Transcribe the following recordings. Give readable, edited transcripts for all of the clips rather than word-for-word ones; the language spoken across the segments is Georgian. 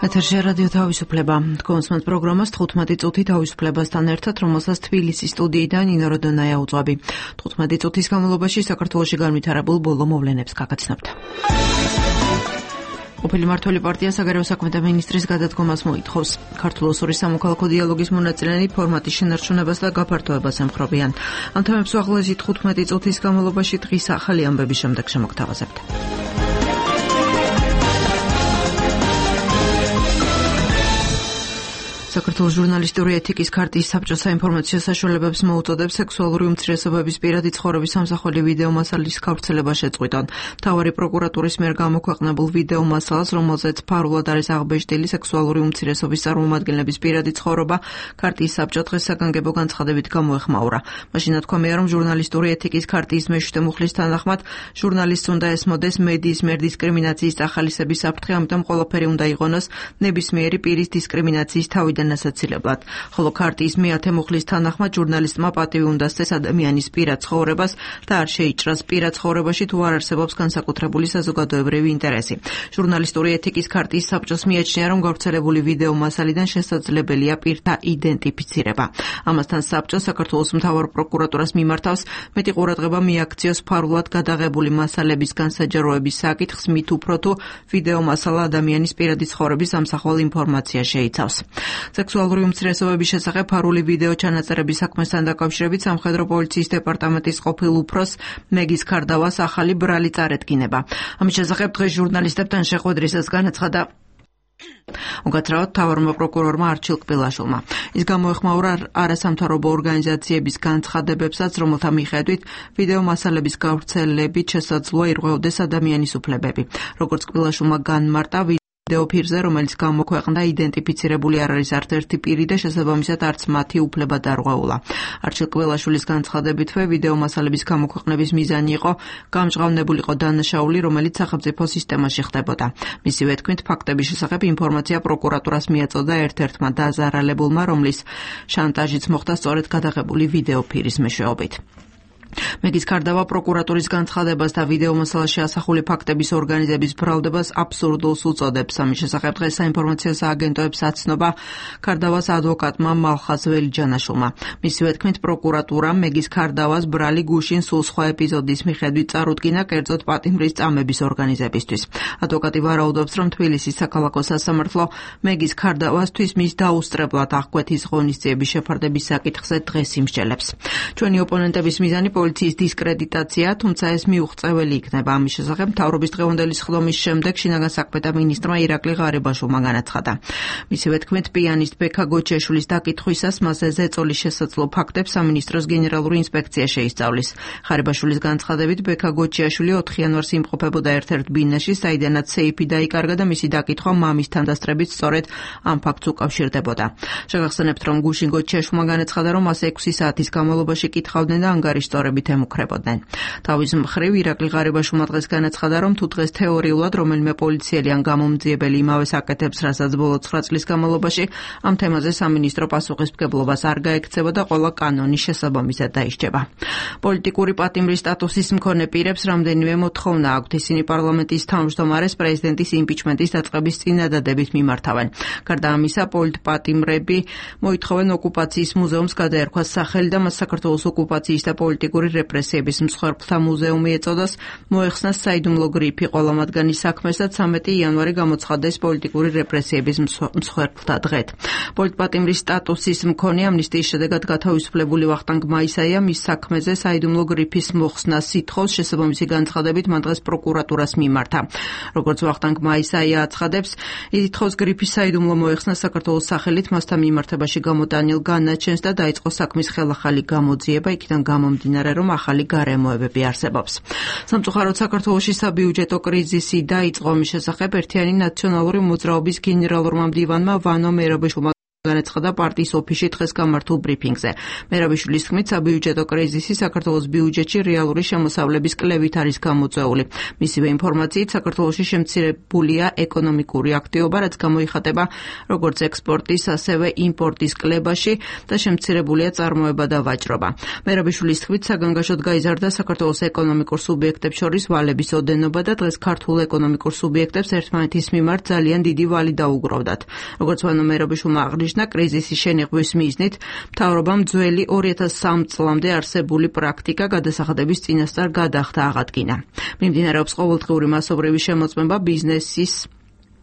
ეთერში რადიო თავისუფლება. კონსმენს პროგრამას 15 წუთი თავისუფლებასთან ერთად, რომელსაც თბილისის სტუდიიდან ნინო როდონაია უძღვები. 15 წუთის განმავლობაში საქართველოში განვითარებულ ბოლო მოვლენებს გაგაცნობთ. ყოფილი მმართველი პარტია საგარეო საქმეთა მინისტრის გადადგომას მოითხოვს. ქართულ-ოსური სამოქალაქო დიალოგის მონაწილეები ფორმატის შენარჩუნებას და გაფართოებას ემხრობიან. ამ თემებს უახლოესი 15 წუთის განმავლობაში დღის ახალი ამბების შემდეგ შემოგთავაზებთ. საქართველოს ჟურნალისტური ეთიკის ქარტიის საბჭო საინფორმაციო საშუალებებს მოუწოდებს სექსუალური უმცირესობების პირადი ცხოვრების სამსახველი ვიდეო მასალის გავრცელება შეწყვიტონ. მთავარი პროკურატურის მიერ გამოქვეყნებულ ვიდეო მასალას, რომელზეც ფარულად არის აღბეჭდილი სექსუალური უმცირესობის წარმომადგენლების პირადი ცხოვრება, ქარტიის საბჭო დღეს საგანგებო განცხადებით გამოეხმაურა. მაშინ ნათქვამია, რომ ჟურნალისტური ეთიკის ქარტიის მეშვიდე მუხლის თანახმად, ჟურნალისტს უნდა ესმოდეს მედიის მიერ დისკრიმინაციის წახალისების საფრთხე, ამიტომ ყველაფერი უნდა იყონოს ნებისმიერი პირის დისკრიმინაციის თავიდან ასაცილებლად. ხოლო ქარტიის მეათე მუხლის თანახმად ჟურნალისტმა პატივი უნდა სცეს ადამიანის პირად ცხოვრებას და არ შეიჭრას პირად ცხოვრებაში თუ არ არსებობს განსაკუთრებული საზოგადოებრივი ინტერესი. ჟურნალისტური ეთიკის ქარტიის საბჭოს მიაჩნია, რომ გავრცელებული ვიდეო მასალიდან შესაძლებელია პირთა იდენტიფიცირება. ამასთან საბჭო საქართველოს მთავარ პროკურატურას მიმართავს მეტი ყურადღება მიაქციოს ფარულად გადაღებული მასალების განსაჯაროების საკითხს, მით უფრო თუ ვიდეო მასალა ადამიანის პირადი ცხოვრების ამსახველ ინფორმაცია შეიცავს. სექსუალური უმცირესობების შესახებ ფარული ვიდეო ჩანაწერების საქმესთან დაკავშირებით სამხედრო პოლიციის დეპარტამენტის ყოფილ უფროს მეგის ქარდავას ახალი ბრალი წარედგინება. ამის შესახებ დღეს ჟურნალისტებთან შეხვედრისას განაცხადა უკაცრავად მთავარმა პროკურორმა არჩილ კბილაშვილმა. ის გამოეხმაურა არასამთავრობო ორგანიზაციების განცხადებებსაც, რომელთა მიხედვით ვიდეო მასალების გავრცელებით შესაძლოა ირღვეოდეს ადამიანის უფლებები. როგორც კბილაშვილმა განმარტა, ვიდეო ფირზე, რომელიც გამოქვეყნდა, იდენტიფიცირებული არ არის არც ერთი პირი და შესაბამისად არც მათი უფლება დარღვეულა. არჩილ კბილაშვილის განცხადებითვე ვიდეო მასალების გამოქვეყნების მიზანი იყო გამჟღავნებულიყო დანაშაული, რომელიც სახელმწიფო სისტემაში ხდებოდა. მისივე თქმით, ფაქტების შესახებ ინფორმაცია პროკურატურას მიაწოდა ერთ-ერთმა დაზარალებულმა, რომლის შანტაჟიც მოხდა სწორედ გადაღებული ვიდეო ფირის მეშვეობით. მეგის ქარდავა პროკურატურის განცხადებას და ვიდეო მასალაში ასახული ფაქტების ორგანიზების ბრალდებას აბსურდულს უწოდებს. ამის შესახებ დღეს საინფორმაციო სააგენტოებს აცნობა ქარდავას ადვოკატმა მალხაზ ველიჯანაშვილმა. მისივე თქმით, პროკურატურამ მეგის ქარდავას ბრალი გუშინ სულ სხვა ეპიზოდის მიხედვით წარუდგინა კერძოდ პატიმრის წამების ორგანიზებისთვის. ადვოკატი ვარაუდობს, რომ თბილისის საქალაქო სასამართლო მეგის ქარდავასთვის მის დაუსწრებლად აღკვეთის ღონისძიების შეფარდების საკითხზე დღეს იმსჯელებს. ჩვენი ოპონენტების მიზანი პოლიციის დისკრედიტაცია, თუმცა ეს მიუღწეველი იქნება. ამის შესახებ მთავრობის დღევანდელი სხდომის შემდეგ შინაგან საქმეთა მინისტრმა ირაკლი ღარიბაშვილმა განაცხადა. მისივე თქმით, პიანისტ ბექა გოჩიაშვილის დაკითხვისას მასზე ზეწოლის შესაძლო ფაქტებს სამინისტროს გენერალური ინსპექცია შეისწავლის. ღარიბაშვილის განცხადებით, ბექა გოჩიაშვილი 4 იანვარს იმყოფებოდა ერთ-ერთ ბინაში, საიდანაც სეიფი დაიკარგა და მისი დაკითხვა მამის თანდასწრებით სწორედ ამ ფაქტს უკავშირდებოდა. შეგახსენებთ, რომ გუშინ გოჩიაშვილმა განაცხადა, რომ მას 6 საათის განმავლობაში კითხავდნენ და ანგარიშწორებით ემუქრებოდნენ. თავის მხრივ ირაკლი ღარიბაშვილმა დღეს განაცხადა, რომ თუ დღეს თეორიულად რომელიმე პოლიციელი ან გამომძიებელი იმავეს აკეთებს, რასაც ბოლო 9 წლის განმავლობაში, ამ თემაზე სამინისტრო პასუხისმგებლობას არ გაექცევა და ყველა კანონი შესაბამისად დაისჯება. პოლიტიკური პატიმრის სტატუსის მქონე პირებს რამდენიმე მოთხოვნა აქვთ. ისინი პარლამენტის თავმჯდომარეს პრეზიდენტის იმპიჩმენტის დაწყების წინადადებით მიმართავენ. გარდა ამისა, პოლიტპატიმრები მოითხოვენ ოკუპაციის მუზეუმს გადაერქვას სახელი და მას საქართველოს ოკუპაციის და პოლიტიკური რეპრესიების მსხვერპლთა მუზეუმი ეწოდოს, მოეხსნას საიდუმლო გრიფი ყველა მათგანის საქმეს და 13 იანვარი გამოცხადდეს პოლიტიკური რეპრესიების მსხვერპლთა დღედ. პოლიტპატიმრის სტატუსის მქონე ამნისტიის შედეგად გათავისუფლებული ვახტანგ მაისაია მის საქმეზე საიდუმლო გრიფის მოხსნას ითხოვს, შესაბამისი განცხადებით მან დღეს პროკურატურას მიმართა. როგორც ვახტანგ მაისაია აცხადებს, ის ითხოვს გრიფის საიდუმლო მოეხსნას საქართველოს სახელით მასთან მიმართებაში გამოტანილ განაჩენს და დაიწყო საქმის ხელახალი გამოძიება, იქიდან გამომდინარე, რომ ახალი გარემოებები არსებობს. სამწუხაროდ საქართველოში საბიუჯეტო კრიზისი დაიწყო. ამის შესახებ ერთიანი ნაციონალური მოძრაობის გენერალურმა მდივანმა ვანო მერაბაშვილმა განაცხადა პარტიის ოფისში დღეს გამართულ ბრიფინგზე. მერაბიშვილის თქმით, საბიუჯეტო კრიზისი საქართველოს ბიუჯეტში რეალური შემოსავლების კლევით არის გამოწვეული. მისივე ინფორმაციით, საქართველოში შემცირებულია ეკონომიკური აქტივობა, რაც გამოიხატება როგორც ექსპორტის, ასევე იმპორტის კლებაში და შემცირებულია წარმოება და ვაჭრობა. მერაბიშვილის თქმით, საგანგაშოდ გაიზარდა საქართველოს ეკონომიკურ სუბიექტებს შორის ვალების ოდენობა და დღეს ქართულ ეკონომიკურ სუბიექტებს ერთმანეთის მიმართ ძალიან დიდი ვალი დაუგროვდათ. როგორც ვანო მერაბიშვილმა აღნიშნა, კრიზისის შენიღბვის მიზნით მთავრობამ ძველი 2003 წლამდე არსებული პრაქტიკა გადასახადების წინასწარ გადახდა აღადგინა. მიმდინარეობს ყოველდღიური მასობრივი შემოწმება ბიზნესის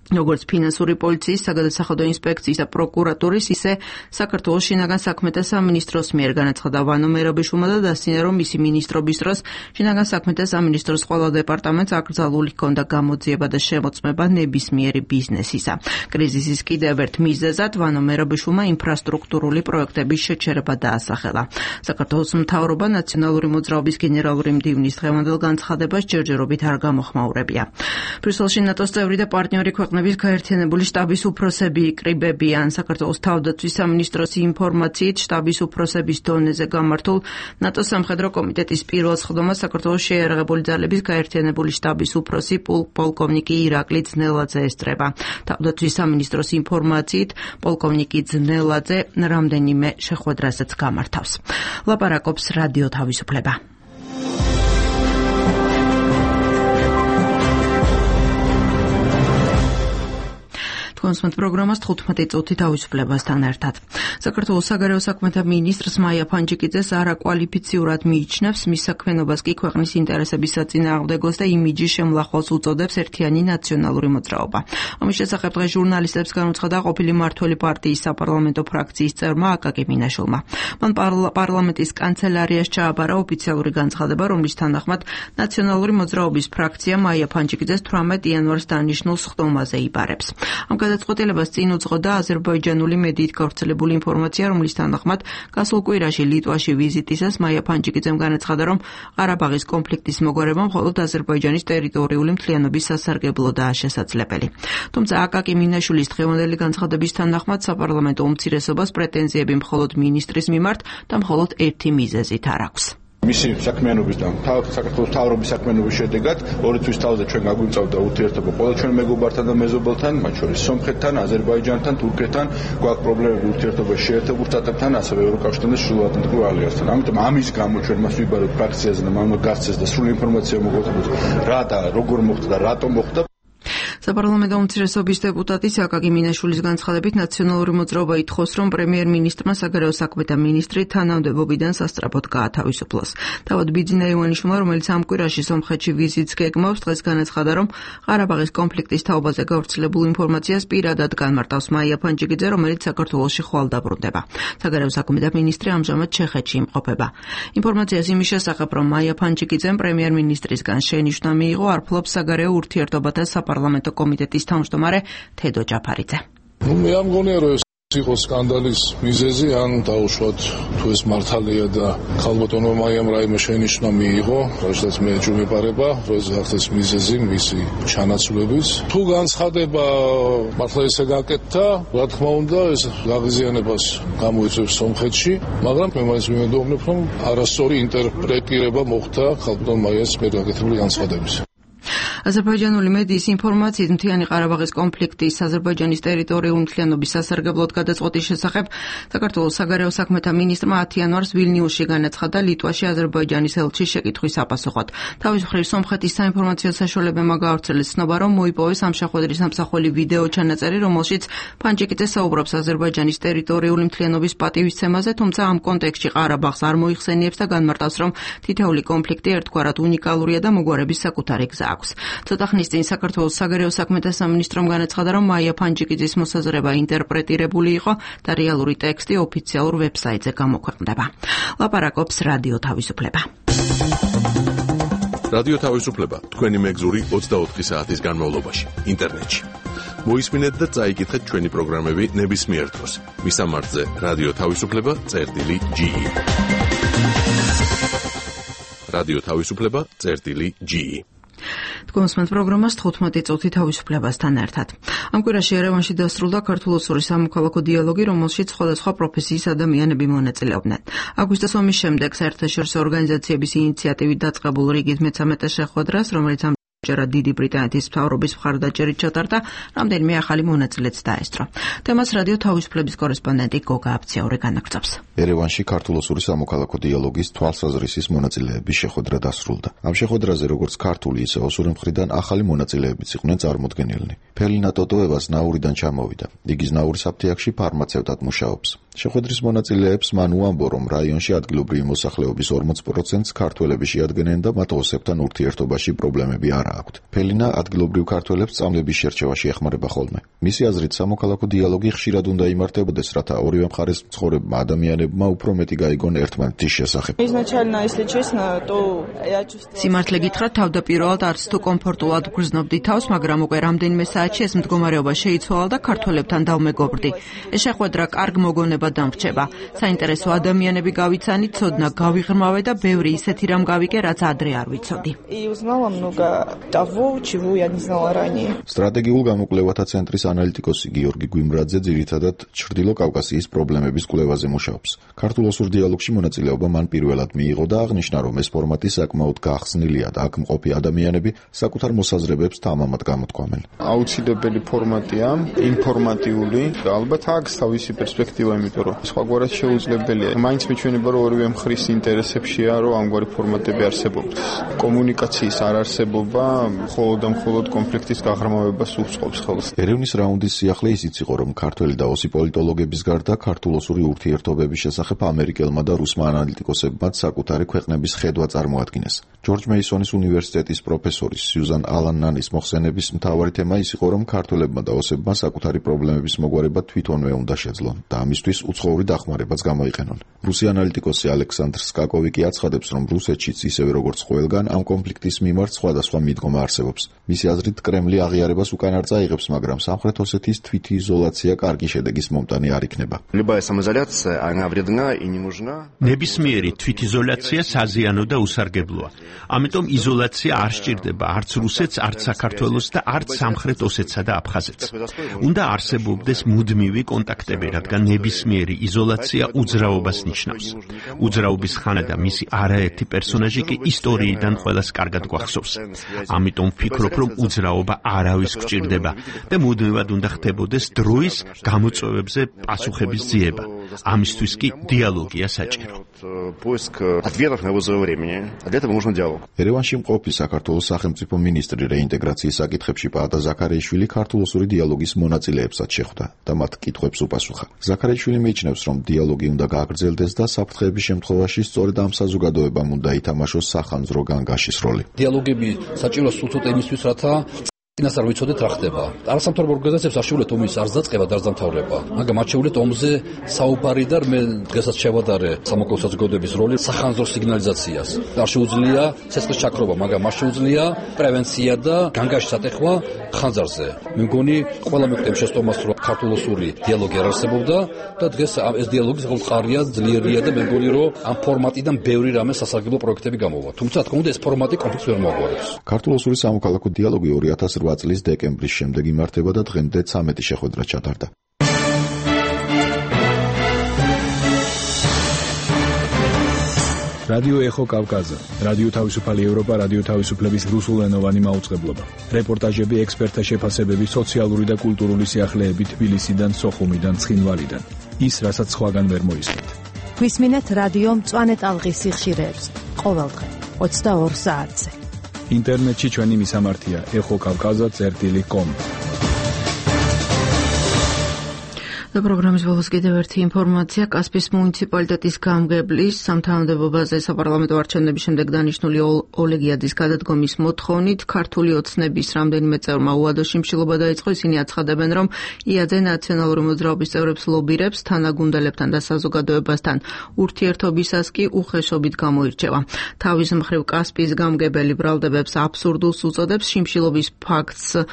როგორც ფინანსური პოლიციის, საგადასახადო ინსპექციის და პროკურატურის, ისე საქართველოს შინაგან საქმეთა სამინისტროს მიერ განაცხადა ვანო მერაბიშვილმა და დასცინა, რომ მისი მინისტრობის დროს შინაგან საქმეთა სამინისტროს ყველა დეპარტამენტს აკრძალული ჰქონდა გამოძიება და შემოწმება ნებისმიერი ბიზნესისა. კრიზისის კიდევ ერთ მიზეზად ვანო მერაბიშვილმა ინფრასტრუქტურული პროექტების შეჩერება დაასახელა. საქართველოს მთავრობა ნაციონალური მოძრაობის გენერალური მდივნის დღევანდელ განცხადებას ჯერჯერობით არ გამოხმაურებია. ბრიუსელში ნატოს წევრი და პარტნიორი ქვეყნების გაერთიანებული შტაბის უფროსები იკრიბებიან. საქართველოს თავდაცვის სამინისტროს ინფორმაციით, შტაბის უფროსების დონეზე გამართულ ნატოს სამხედრო კომიტეტის პირველ სხდომას საქართველოს შეიარაღებული ძალების გაერთიანებული შტაბის უფროსი პოლკოვნიკი ირაკლი ძნელაძე ესწრება. თავდაცვის სამინისტროს ინფორმაციით, პოლკოვნიკი ძნელაძე რამდენიმე შეხვედრასაც გამართავს. ლაპარაკობს რადიო თავისუფლება. კონსმეთ პროგრამას 15 წუთი თავისუფლებასთან ერთად. საქართველოს საგარეო საქმეთა მინისტრს მაია ფანჯიკიძეს არაკვალიფიციურად მიიჩნევს, მის საქმიანობას კი ქვეყნის ინტერესების საწინააღმდეგოს და იმიჯის შემლახვალს უწოდებს ერთიანი ნაციონალური მოძრაობა. ამის შესახებ დღეს ჟურნალისტებს განუცხადა ყოფილი მმართველი პარტიის საპარლამენტო ფრაქციის წევრმა აკაკი მინაშვილმა. მან პარლამენტის კანცელარიას ჩააბარა ოფიციალური განცხადება, რომლის თანახმად ნაციონალური მოძრაობის ფრაქცია მაია ფანჯიკიძეს 18 იანვარს დანიშნულ სხდომაზე იბარებს. ამ გადაწყვეტილებას წინ უძღოდა აზერბაიჯანული მედიით გავრცელებული ინფორმაცია, რომლის თანახმად გასულ კვირაში ლიტვაში ვიზიტისას მაია ფანჯიკიძემ განაცხადა, რომ ყარაბაღის კონფლიქტის მოგვარება მხოლოდ აზერბაიჯანის ტერიტორიული მთლიანობის სასარგებლოდაა შესაძლებელი. თუმცა აკაკი მინაშვილის დღევანდელი განცხადების თანახმად საპარლამენტო უმცირესობას პრეტენზიები მხოლოდ მინისტრის მიმართ და მხოლოდ ერთი მიზეზით არ აქვს. მისი საქმიანობის და საქართველოს მთავრობის საქმიანობის შედეგად 2 თვის თავზე ჩვენ გაგვიწევდა ურთიერთობა ყველა ჩვენ მეგობართან და მეზობელთან, მათ შორის სომხეთთან, აზერბაიჯანთან, თურქეთთან, გვაქვს პრობლემები ურთიერთობაში შეერთებულ შტატებთან, ასევე ევროკავშირთან და ჩრდილოატლანტიკურ ალიანსთან. ამიტომ ამის გამო ჩვენ მას ვიბარებთ ფრაქციაზე და მან გასცეს და სრული ინფორმაცია მოგვეცემთ რა და როგორ მოხდა და რატომ მოხდა. საპარლამენტო უმცირესობის დეპუტატის აკაკი მინაშვილის განცხადებით ნაციონალური მოძრაობა ითხოვს, რომ პრემიერ-მინისტრმა საგარეო საქმეთა მინისტრი თანამდებობიდან სასწრაფოდ გაათავისუფლოს. თავად ბიძინა ივანიშვილმა, რომელიც ამ კვირაში სომხეთში ვიზიტს გეგმავს, დღეს განაცხადა, რომ ყარაბაღის კონფლიქტის თაობაზე გავრცელებულ ინფორმაციას პირადად განმარტავს მაია ფანჯიკიძე, რომელიც საქართველოში ხვალ დაბრუნდება. საგარეო საქმეთა მინისტრი ამჟამად ჩეხეთში იმყოფება. ინფორმაციას იმის შესახებ, რომ მაია ფანჯიკიძემ პრემიერ-მინისტრისგან შენიშვნა მიიღო, არ ფლობს საგარეო ურთიერთობათა საპარლამენტო კომიტეტის თავმჯდომარე თედო ჯაფარიძე. მე არ მგონია, რომ იყო სკანდალის მიზეზი, ან დაუშვათ თუ ეს მართალია და ქალბატონმა მაიამ რაიმე შენიშვნა მიიღო, რასაც მე ეჯუბებარება, რომ ეს ახსეს მიზეზი მისი ჩანაცვლების. თუ განცხადება მართლა ესე გაკეთდა, რა თქმა უნდა, ეს გაღიზიანებას გამოიწვევს სომხეთში, მაგრამ მე მაინც ვიმედოვნებ, რომ არასწორი ინტერპრეტირება მოხდა ქალბატონ მაიას მიერ გაკეთებული განცხადების. აზერბაიჯანული მედიის ინფორმაციით მთიანი ყარაბაღის კონფლიქტის აზერბაიჯანის ტერიტორიული მთლიანობის სასარგებლოდ გადაწყვეტის შესახებ საქართველოს საგარეო საქმეთა მინისტრმა 10 იანვარს ვილნიუსში განაცხადა ლიტვაში აზერბაიჯანის ელჩის შეკითხვის საპასუხოდ. თავის მხრივ სომხეთის საინფორმაციო საშუალებებმა გაავრცელეს ცნობა, რომ მოიპოვეს ამ შეხვედრის სამსახველი ვიდეო ჩანაწერი, რომელშიც ფანჯიკიძე საუბრობს აზერბაიჯანის ტერიტორიული მთლიანობის პატივისცემაზე, თუმცა ამ კონტექსტში ყარაბაღს არ მოიხსენიებს და განმარტავს, რომ თითოეული კონფლიქტი ერთგვარად უნიკალურია და მოგვარების საკუთარი გზა აქვს. ცოტა ხნის წინ საქართველოს საგარეო საქმეთა სამინისტრომ განაცხადა, რომ მაია ფანჯიკიძის მოსაზრება ინტერპრეტირებული იყო და რეალური ტექსტი ოფიციალურ ვებსაიტზე გამოქვეყნდება. ლაპარაკობს რადიო თავისუფლება. რადიო თავისუფლება თქვენი მეგზური 24 საათის განმავლობაში ინტერნეტში. მოისმინეთ და წაიკითხეთ ჩვენი პროგრამები ნებისმიერ დროს. მისამართზე რადიო თავისუფლება.ge. რადიო თავისუფლება.ge. გონსმენთ პროგრამას 15 წუთი თავისუფლებასთან ერთად. ამ კვირაში ერევანში დასრულდა ქართულ-ოსური სამოქალაქო დიალოგი, რომელშიც სხვადასხვა პროფესიის ადამიანები მონაწილეობდნენ. აგვისტოს ომის შემდეგ საერთაშორისო ორგანიზაციების ინიციატივით დაწყებულ რიგით მე-13 შეხვედრას, რომელიც ჯერა დიდი ბრიტანეთის მთავრობის მხარდაჭერით ჩატარდა, რამდენიმე ახალი მონაწილეც დაესწრო. თემას რადიო თავისუფლების კორესპონდენტი გოგა აბციაური განაგრძობს. ერევანში ქართულ-ოსური სამოქალაქო დიალოგის თვალსაზრისის მონაწილეების შეხვედრა დასრულდა. ამ შეხვედრაზე როგორც ქართული, ისე ოსური მხრიდან ახალი მონაწილეებიც იყვნენ წარმოდგენილნი. ფელინა ტოტოევას ნაურიდან ჩამოვიდა. იგი ზნაურის აფთიაქში ფარმაცევტად მუშაობს. შეხვედრის მონაწილეებს მან უამბო, რომ რაიონში ადგილობრივი მოსახლეობის 40%-ს ქართველები შეადგენენ და მათ ოსებთან ურთიერთობაში პრობლემები არ აქვთ. ფელინა ადგილობრივ ქართველებს წამლების შერჩევაში ეხმარება ხოლმე. მისი აზრით, სამოქალაქო დიალოგი ხშირად უნდა იმართებოდეს, რათა ორივე მხარეს მცხოვრებმა ადამიანებმა უფრო მეტი გაიგონ ერთმანეთის შესახებ. სიმართლე გითხრათ, თავდაპირველად არც თუ კომფორტულად გრძნობდი თავს, მაგრამ უკვე რამდენიმე საათში ეს მდგომარეობა შეიცვალა და ქართველებთან დავმეგობრდი. ეს შეხვედრა კარგ მოგონება დამრჩება. საინტერესო ადამიანები გავიცანი, ცოდნა გავიღრმავე და ბევრი ისეთი რამ გავიგე, რაც ადრე არ ვიცოდი. სტრატეგიულ გამოკვლევათა ცენტრის ანალიტიკოსი გიორგი გვიმრაძე ძირითადად ჩრდილო კავკასიის პრობლემების კვლევაზე მუშაობს. ქართულ-ოსურ დიალოგში მონაწილეობა მან პირველად მიიღო და აღნიშნა, რომ ეს ფორმატი საკმაოდ გახსნილია და აქ მყოფი ადამიანები საკუთარ მოსაზრებებს თამამად გამოთქვამენ. აუცილებელი ფორმატია, ინფორმატიული, ალბათ აქვს თავისი პერსპექტივა, იმიტომ რომ სხვაგვარად შეუძლებელია. მაინც მიჩვენება, რომ ორივე მხრის ინტერესებშია, რომ ამგვარი ფორმატები არსებობს. კომუნიკაციის არ არსებობა მხოლოდ და მხოლოდ კონფლიქტის გაღრმავებას უწყობს ხელს. ერევნის რაუნდის სიახლე ისიც იყო, რომ ქართველი და ოსი პოლიტოლოგების გარდა ქართულ-ოსური ურთიერთობების შესახებ ამერიკელმა და რუსმა ანალიტიკოსებმა საკუთარი ქვეყნების ხედვა წარმოადგინეს. ჯორჯ მეისონის უნივერსიტეტის პროფესორის სიუზან ალან-ნანის მოხსენების მთავარი თემა ის იყო, რომ ქართველებმა და ოსებმა საკუთარი პრობლემების მოგვარება თვითონვე უნდა შეძლონ და ამისთვის უცხოური დახმარებაც გამოიყენონ. რუსი ანალიტიკოსი ალექსანდრ სკაკოვი კი აცხადებს, რომ რუსეთშიც ისევე როგორც ყველგან ამ კონფლიქტის მიმართ სხვადასხვა მიდგომა არსებობს. მისი აზრით, კრემლი აღიარებას უკან არ წაიღებს, მაგრამ სამხრეთ ოსეთის თვითიზოლაცია კარგი შედეგის მომტანი არ იქნება. ნებისმიერი თვითიზოლაცია საზიანო და უსარგებლოა. ამიტომ იზოლაცია არ სჭირდება არც რუსეთს, არც საქართველოს და არც სამხრეთ ოსეთსა და აფხაზეთს. უნდა არსებობდეს მუდმივი კონტაქტები, რადგან ნებისმიერი იზოლაცია უძრაობას ნიშნავს. უძრაობის ხანა და მისი არაერთი პერსონაჟი კი ისტორიიდან ყველას კარგად გვახსოვს. ამიტომ ვფიქრობ, რომ უძრაობა არავის გვჭირდება და მუდმივად უნდა ხდებოდეს დროის გამოწვევებზე პასუხების ძიება. ამისთვის კი დიალოგია საჭირო. ერევანში მყოფი საქართველოს სახელმწიფო მინისტრი რეინტეგრაციის საკითხებში პაატა ზაქარიაშვილი ქართულ-ოსური დიალოგის მონაწილეებსაც შეხვდა და მათ კითხვებს უპასუხა. ზაქარიაშვილი მიიჩნევს, რომ დიალოგი უნდა გააგრძელდეს და საფრთხეების შემთხვევაში სწორედ ამ საზოგადოებამ უნდა ითამაშოს სახანძრო განგაშის როლი. დიალოგები საჭიროა სულთოდ იმისთვის, რათა წინასწარ ვიცოდეთ რა ხდება. არასამთავრობო ორგანიზაციებს არ შეუძლიათ ომის არც დაწყება და არც დამთავრება. მაგრამ მათ შეუძლიათ ომზე საუბარი და მე დღესაც შევადარე სამოქალაქო საზოგადოების როლი სახანძრო სიგნალიზაციას. არ შეუძლია ცეცხლის ჩაქრობა, მაგრამ მას შეუძლია პრევენცია და განგაშის ატეხვა ხანძარზე. მე მგონი ყველა მეკვდემ შეცდომას, რომ ქართულ-ოსური დიალოგი არ არსებობდა და დღეს ეს დიალოგი საკმაოდ მყარია, ძლიერია და მე მგონი, რომ ამ ფორმატიდან ბევრი რამე სასარგებლო პროექტები გამოვა. თუმცა თქო უნდა ეს ფორმატი კონფლიქტს ვერ მოაგვარებს. ქართულ-ოსური სამოქალაქო დიალოგი 2008 წლის დეკემბრის შემდეგ იმართება და დღემდე 13 შეხვედრა ჩატარდა. რადიო ეხო კავკაზა, რადიო თავისუფალი ევროპა, რადიო თავისუფლების რუსულენოვანი მაუწყებლობა. რეპორტაჟები, ექსპერტთა შეფასებები, სოციალური და კულტურული სიახლეები თბილისიდან, სოხუმიდან, ცხინვალიდან. ის, რასაც სხვაგან ვერ მოისმენთ. გვისმინეთ რადიო მწვანე ტალღის სიხშირეებს ყოველდღე 22 საათზე. ინტერნეტში ჩვენი მისამართია ეხოკავკაზა.com. და პროგრამის ბოლოს კიდევ ერთი ინფორმაცია. კასპიის მუნიციპალიტეტის გამგებლის სამთავრობოებაზე საპარლამენტო არჩევნების შემდეგ დანიშნული ოლეგიაძის გადადგომის მოთხოვნით ქართული ოცნების რამდენიმე წევრმა უადო შიმშილობა დაიწყო. ისინი აცხადებენ, რომ იაძე ნაციონალური მოძრაობის წევრებს ლობირებს თანაგუნდელებთან და საზოგადოებასთან ურთიერთობისას კი უხეშობით გამოირჩევა. თავის მხრივ კასპიის გამგებელი ბრალდებებს აბსურდულს უწოდებს, შიმშილობის ფაქტს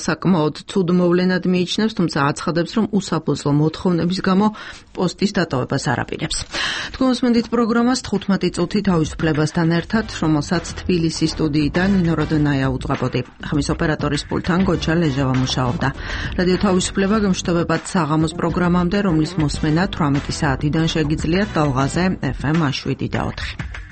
საკმაოდ ცუდ მოვლენად მიიჩნევს, თუმცა აცხადებს, რომ უსაფუძვლო სასამართლო მოთხოვნების გამო პოსტის დატოვებას არაპირებს. თქვენ მოსმენთ პროგრამას 15 წუთი თავისუფლებასთან ერთად, რომელსაც თბილისის სტუდიიდან ნინო როდონაია უძღვებოდი. ხმის ოპერატორის პულტთან გოჩა ლეჟავა მუშაობდა. რადიო თავისუფლება გემშვიდობებად საღამოს პროგრამამდე, რომლის მოსმენა 18 საათიდან შეგიძლიათ ტალღაზე FM 7 და 4.